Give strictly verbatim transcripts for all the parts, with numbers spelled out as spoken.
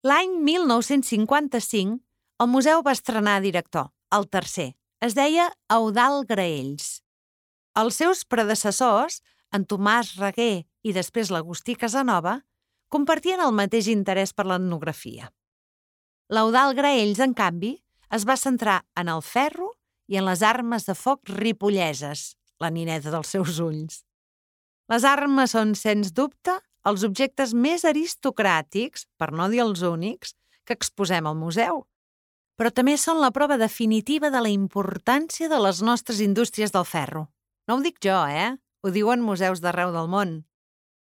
L'any mil nou-cents cinquanta-cinc, el museu va estrenar director, el tercer. Es deia Eudald Graells. Els seus predecessors, en Tomàs Reguer i després l'Agustí Casanova, compartien el mateix interès per l'etnografia. L'Eudald Graells, en canvi, es va centrar en el ferro i en les armes de foc ripolleses, la nineta dels seus ulls. Les armes són, sens dubte, els objectes més aristocràtics, per no dir els únics, que exposem al museu, però també són la prova definitiva de la importància de les nostres indústries del ferro. No ho dic jo, eh? Ho diuen museus d'arreu del món.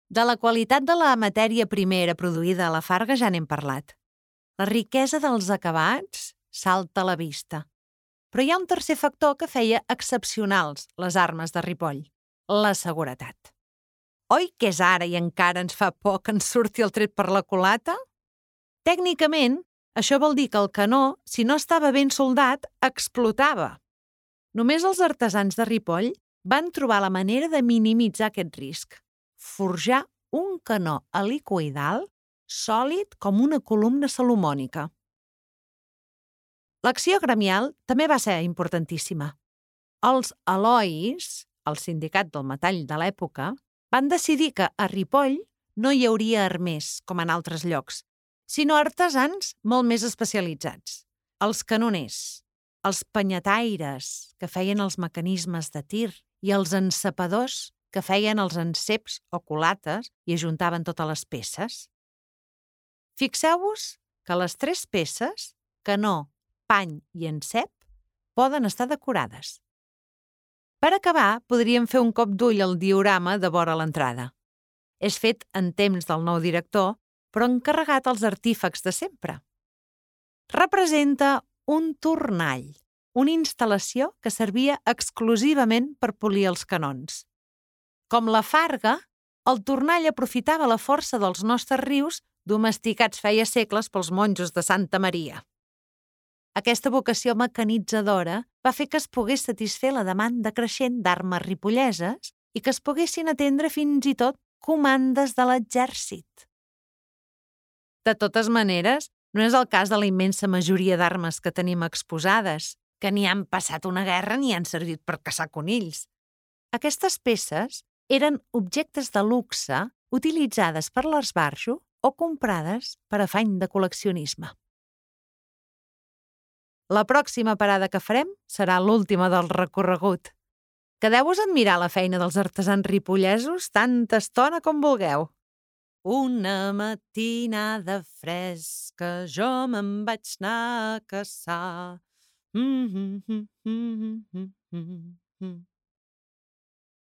De la qualitat de la matèria primera produïda a la Farga ja n'hem parlat. La riquesa dels acabats salta a la vista. Però hi ha un tercer factor que feia excepcionals les armes de Ripoll, la seguretat. Oi que és ara i encara ens fa por que ens surti el tret per la culata? Tècnicament, això vol dir que el canó, si no estava ben soldat, explotava. Només els artesans de Ripoll van trobar la manera de minimitzar aquest risc. Forjar un canó helicoïdal sòlid com una columna salomònica. L'acció gremial també va ser importantíssima. Els Elois, el sindicat del metall de l'època, van decidir que a Ripoll no hi hauria armers, com en altres llocs, sinó artesans molt més especialitzats. Els canoners, els penyataires, que feien els mecanismes de tir, i els encepadors, que feien els enceps o culates i ajuntaven totes les peces. Fixeu-vos que les tres peces, canó, pany i encep, poden estar decorades. Per acabar, podríem fer un cop d'ull al diorama de vora l'entrada. És fet en temps del nou director, però encarregat als artífex de sempre. Representa un tornall, una instal·lació que servia exclusivament per polir els canons. Com la Farga, el tornall aprofitava la força dels nostres rius domesticats feia segles pels monjos de Santa Maria. Aquesta vocació mecanitzadora va fer que es pogués satisfer la demanda creixent d'armes ripolleses i que es poguessin atendre fins i tot comandes de l'exèrcit. De totes maneres, no és el cas de la immensa majoria d'armes que tenim exposades, que ni han passat una guerra ni han servit per caçar conills. Aquestes peces eren objectes de luxe utilitzades per l'esbarjo o comprades per afany de col·leccionisme. La pròxima parada que farem serà l'última del recorregut. Quedeu-vos a admirar la feina dels artesans ripollesos tanta estona com vulgueu. Una matinada fresca jo me'n vaig anar a caçar. Mm -hmm, mm -hmm, mm -hmm.